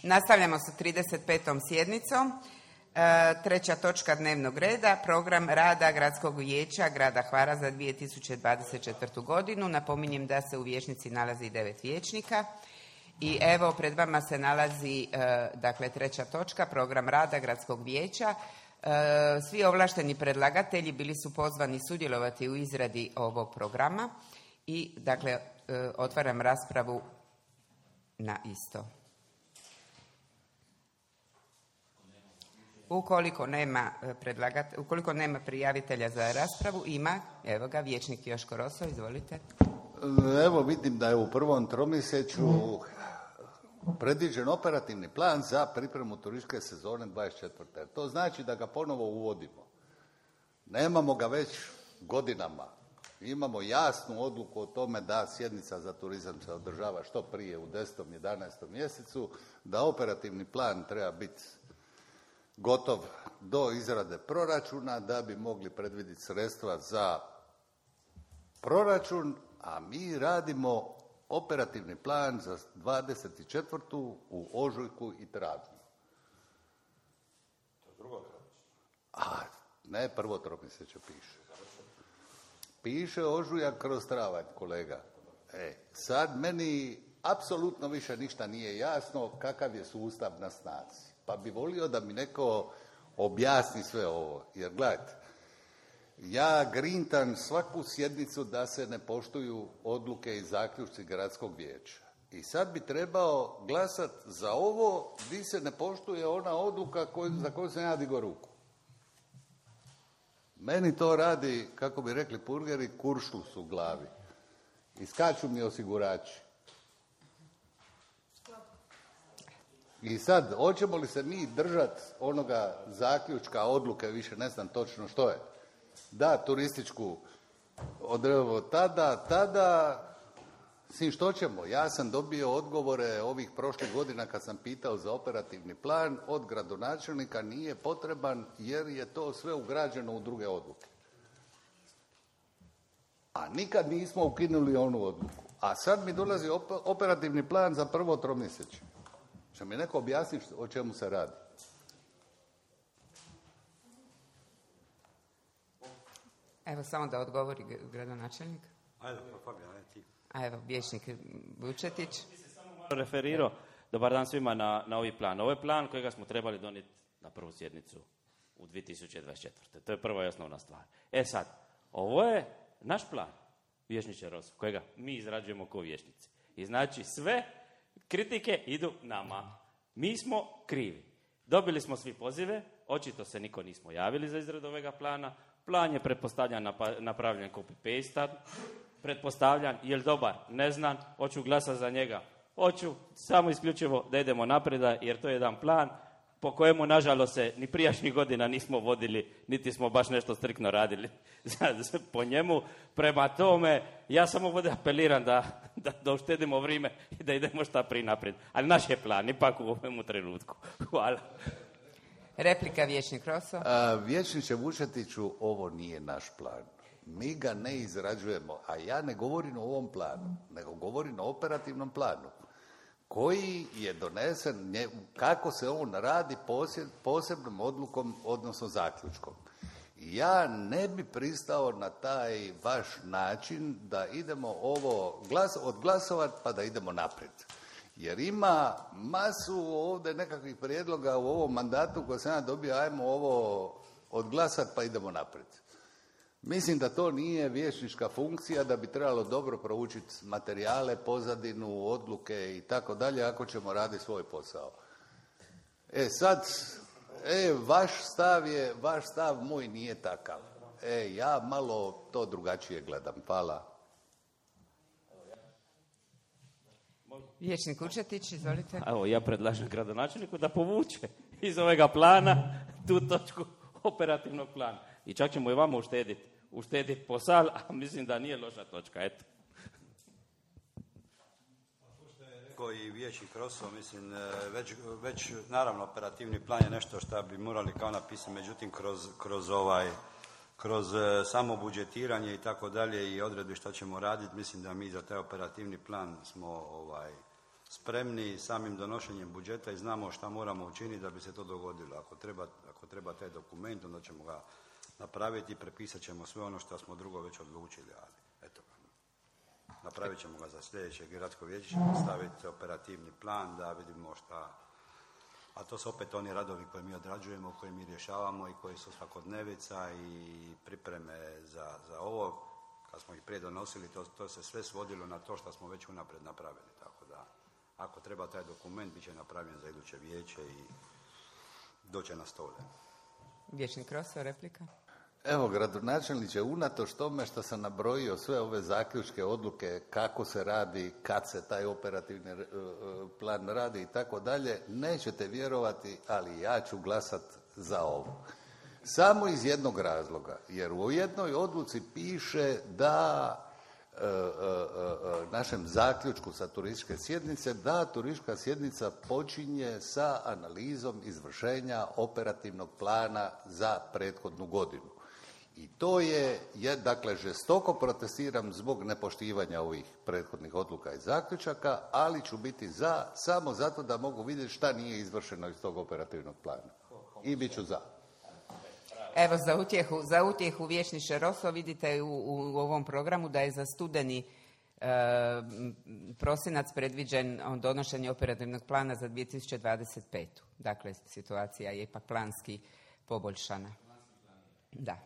Nastavljamo sa 35. sjednicom. Treća točka dnevnog reda, program rada Gradskog vijeća grada Hvara za 2024. godinu. Napominjem da se u vijećnici nalazi 9 vijećnika. I evo, pred vama se nalazi treća točka, program rada Gradskog vijeća. Svi ovlašteni predlagatelji bili su pozvani sudjelovati u izradi ovog programa i otvaram raspravu na isto. Ukoliko nema prijavitelja za raspravu, ima, evo ga, vijećnik Joško Roso, izvolite. Evo, vidim da je u prvom tromjesečju predviđen operativni plan za pripremu turističke sezone 24. To znači da ga ponovo uvodimo. Nemamo ga već godinama. Imamo jasnu odluku o tome da sjednica za turizam se održava što prije u 10. 11. mjesecu, da operativni plan treba biti gotov do izrade proračuna da bi mogli predvidjeti sredstva za proračun, a mi radimo operativni plan za 24. u ožujku i travnju. To je drugo tromjeseče. A, ne, prvo tromjeseče piše. Piše ožujak kroz travanj, kolega. Sad meni apsolutno više ništa nije jasno kakav je sustav na snazi. Pa bi volio da mi neko objasni sve ovo. Jer gledajte, ja grintam svaku sjednicu da se ne poštuju odluke i zaključci gradskog vijeća. I sad bi trebao glasati za ovo gdje se ne poštuje ona odluka za koju sam ja digao ruku. Meni to radi, kako bi rekli purgeri, kuršlus u glavi. I skaču mi osigurači. I sad, hoćemo li se mi držati onoga zaključka, odluke, više ne znam točno što je, da turističku odrevo tada, svim što ćemo. Ja sam dobio odgovore ovih prošlih godina kad sam pitao za operativni plan od gradonačelnika, nije potreban jer je to sve ugrađeno u druge odluke. A nikad nismo ukinuli onu odluku. A sad mi dolazi operativni plan za prvo tromjeseče. Će mi neko objasniti o čemu se radi? Evo, samo da odgovori gradonačelnik. Ajde, Fabijan, ti. A evo, vijećnik Vučetić. Ti se samo malo referirao, dobar dan svima, na ovaj plan. Ovo je plan kojega smo trebali donijeti na prvu sjednicu u 2024. To je prva i osnovna stvar. Sad, ovo je naš plan, vijećniče Roso, kojega mi izrađujemo kao vijećnici. I znači sve kritike idu nama. Mi smo krivi. Dobili smo svi pozive, očito se niko nismo javili za izradu ovoga plana. Plan je pretpostavljan napravljen copy-paste. Pretpostavljan, je li dobar? Ne znam, hoću glasati za njega. Hoću samo isključivo da idemo naprijed, jer to je jedan plan po kojemu, nažalost, se ni prijašnjih godina nismo vodili, niti smo baš nešto striktno radili po njemu. Prema tome, ja samo ovdje apeliram da uštedimo vrijeme i da idemo šta prije naprijed. Ali naš je plan, ipak u ovom trenutku. Hvala. Replika, vijećnik Roso. Vijećniče Vučetiću, ovo nije naš plan. Mi ga ne izrađujemo, a ja ne govorim o ovom planu, nego govorim o operativnom planu koji je donesen, kako se on radi posebnom odlukom, odnosno zaključkom. Ja ne bi pristao na taj vaš način da idemo ovo odglasovati pa da idemo naprijed. Jer ima masu ovdje nekakvih prijedloga u ovom mandatu koje sam ja dobio, ajmo ovo odglasati pa idemo naprijed. Mislim da to nije vijećnička funkcija, da bi trebalo dobro proučiti materijale, pozadinu, odluke i tako dalje, ako ćemo raditi svoj posao. Vaš stav moj nije takav. Ja malo to drugačije gledam. Hvala. Vijećnik Vučetić, izvolite. Evo, ja predlažem gradonačelniku da povuče iz ovega plana tu točku operativnog plana. I čak ćemo i vama uštediti posal, a mislim da nije loša točka, eto. Što je rekao i vijećnik Roso, mislim, već naravno operativni plan je nešto što bi morali kao napisati, međutim kroz samo budžetiranje i tako dalje i odredbe što ćemo raditi, mislim da mi za taj operativni plan spremni samim donošenjem budžeta i znamo šta moramo učiniti da bi se to dogodilo. Ako treba taj dokument, onda ćemo ga napraviti i prepisat ćemo sve ono što smo drugo već odlučili, ali eto, napravit ćemo ga za sljedeće gradsko vijeće, ćemo staviti operativni plan da vidimo šta, a to su opet oni radovi koje mi odrađujemo, koje mi rješavamo i koji su svakodnevica i pripreme za ovo. Kad smo ih prije donosili, to se sve svodilo na to što smo već unaprijed napravili, tako da ako treba taj dokument, bit će napravljen za iduće vijeće i doće na stole. Vijećnik Roso, replika? Evo, gradonačelniče, unatoč tome što sam nabrojio sve ove zaključke, odluke, kako se radi, kad se taj operativni plan radi i tako dalje, nećete vjerovati, ali ja ću glasat za ovo. Samo iz jednog razloga, jer u jednoj odluci piše da našem zaključku sa turističke sjednice, da turistička sjednica počinje sa analizom izvršenja operativnog plana za prethodnu godinu. I to je, dakle, žestoko protestiram zbog nepoštivanja ovih prethodnih odluka i zaključaka, ali ću biti za, samo zato da mogu vidjeti šta nije izvršeno iz tog operativnog plana. I bit ću za. Evo, za utjehu vijećniče Roso, vidite u ovom programu da je za studeni prosinac predviđen donošenje operativnog plana za 2025. Dakle, situacija je ipak planski poboljšana. Da.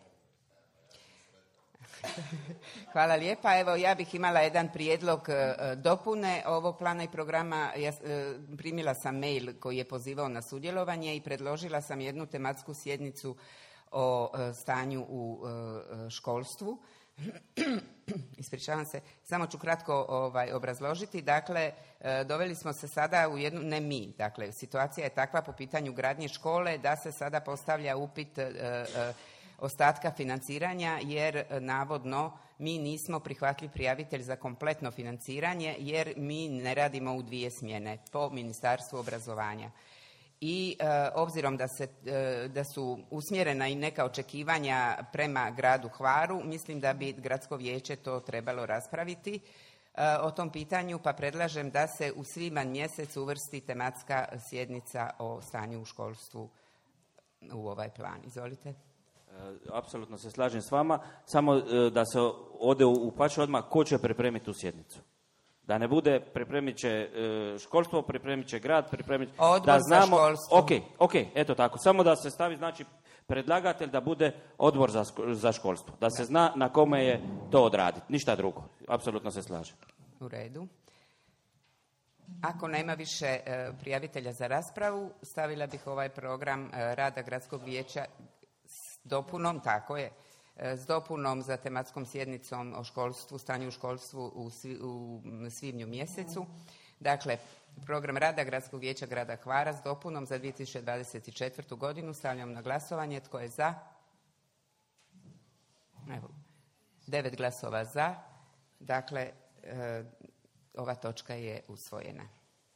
Hvala lijepa. Evo, ja bih imala jedan prijedlog dopune ovog plana i programa. Primila sam mail koji je pozivao na sudjelovanje i predložila sam jednu tematsku sjednicu o stanju u školstvu. Ispričavam se, samo ću kratko obrazložiti. Dakle, doveli smo se sada u jednu, ne mi, dakle, situacija je takva po pitanju gradnje škole da se sada postavlja upit ostatka financiranja, jer navodno mi nismo prihvatljiv prijavitelj za kompletno financiranje, jer mi ne radimo u 2 smjene po Ministarstvu obrazovanja. I obzirom da su usmjerena i neka očekivanja prema gradu Hvaru, mislim da bi gradsko vijeće to trebalo raspraviti o tom pitanju, pa predlažem da se u svibanj mjesec uvrsti tematska sjednica o stanju u školstvu u ovaj plan. Izvolite. Apsolutno se slažem s vama, samo da se ode u pače odmah ko će pripremiti tu sjednicu. Da ne bude pripremit će školstvo, pripremit će grad, Odbor da znamo, za školstvo. Ok, eto tako. Samo da se stavi, znači, predlagatelj da bude odbor za školstvo. Da se zna na kome je to odraditi. Ništa drugo. Apsolutno se slažem. U redu. Ako nema više prijavitelja za raspravu, stavila bih ovaj program rada gradskog vijeća s dopunom, tako je, s dopunom za tematskom sjednicom o školstvu, stanju u školstvu u svibnju mjesecu. Dakle, program rada gradskog vijeća grada Hvara s dopunom za 2024. godinu stavljam na glasovanje. Tko je za? Evo, 9 glasova za. Dakle, ova točka je usvojena.